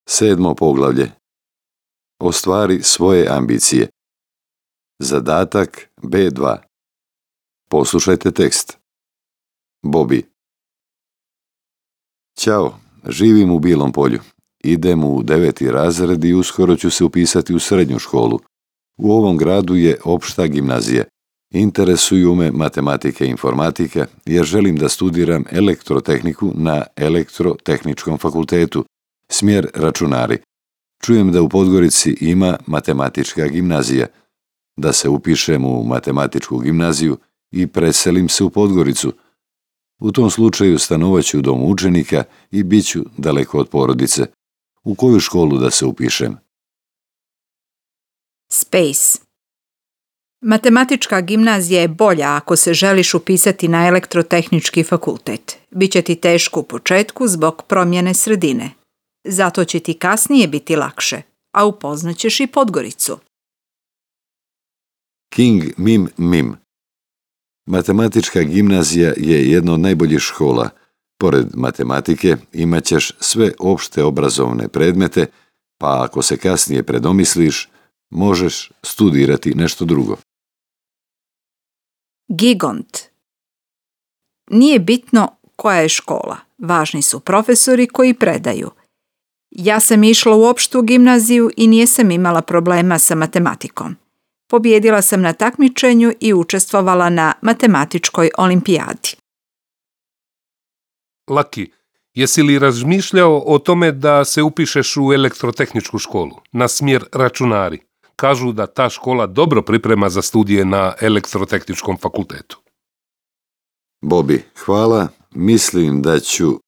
7. poglavlje. Ostvari svoje ambicije. Zadatak B2. Poslušajte tekst. Bobby. Ćao, živim u Bilom Polju. Idem u 9. razred i uskoro ću se upisati u srednju školu. U ovom gradu je opšta gimnazija. Interesuju me matematika i informatika jer želim da studiram elektrotehniku na Elektrotehničkom fakultetu, smjer računari. Čujem da u Podgorici ima matematička gimnazija. Da se upišem u matematičku gimnaziju i preselim se u Podgoricu. U tom slučaju stanovaću u domu učenika i bit ću daleko od porodice. U koju školu da se upišem? Space. Matematička gimnazija je bolja ako se želiš upisati na Elektrotehnički fakultet. Biće ti teško u početku zbog promjene sredine. Zato će ti kasnije biti lakše, a upoznaćeš i Podgoricu. King Mim Mim. Matematička gimnazija je jedna od najboljih škola. Pored matematike imat ćeš sve opšte obrazovne predmete, pa ako se kasnije predomisliš, možeš studirati nešto drugo. Gigont. Nije bitno koja je škola. Važni su profesori koji predaju. Ja sam išla u opštu gimnaziju i nisam imala problema sa matematikom. Pobjedila sam na takmičenju i učestvovala na matematičkoj olimpijadi. Laki, jesi li razmišljao o tome da se upišeš u elektrotehničku školu, na smjer računari? Kažu da ta škola dobro priprema za studije na Elektrotehničkom fakultetu. Bobby, hvala. Mislim da ću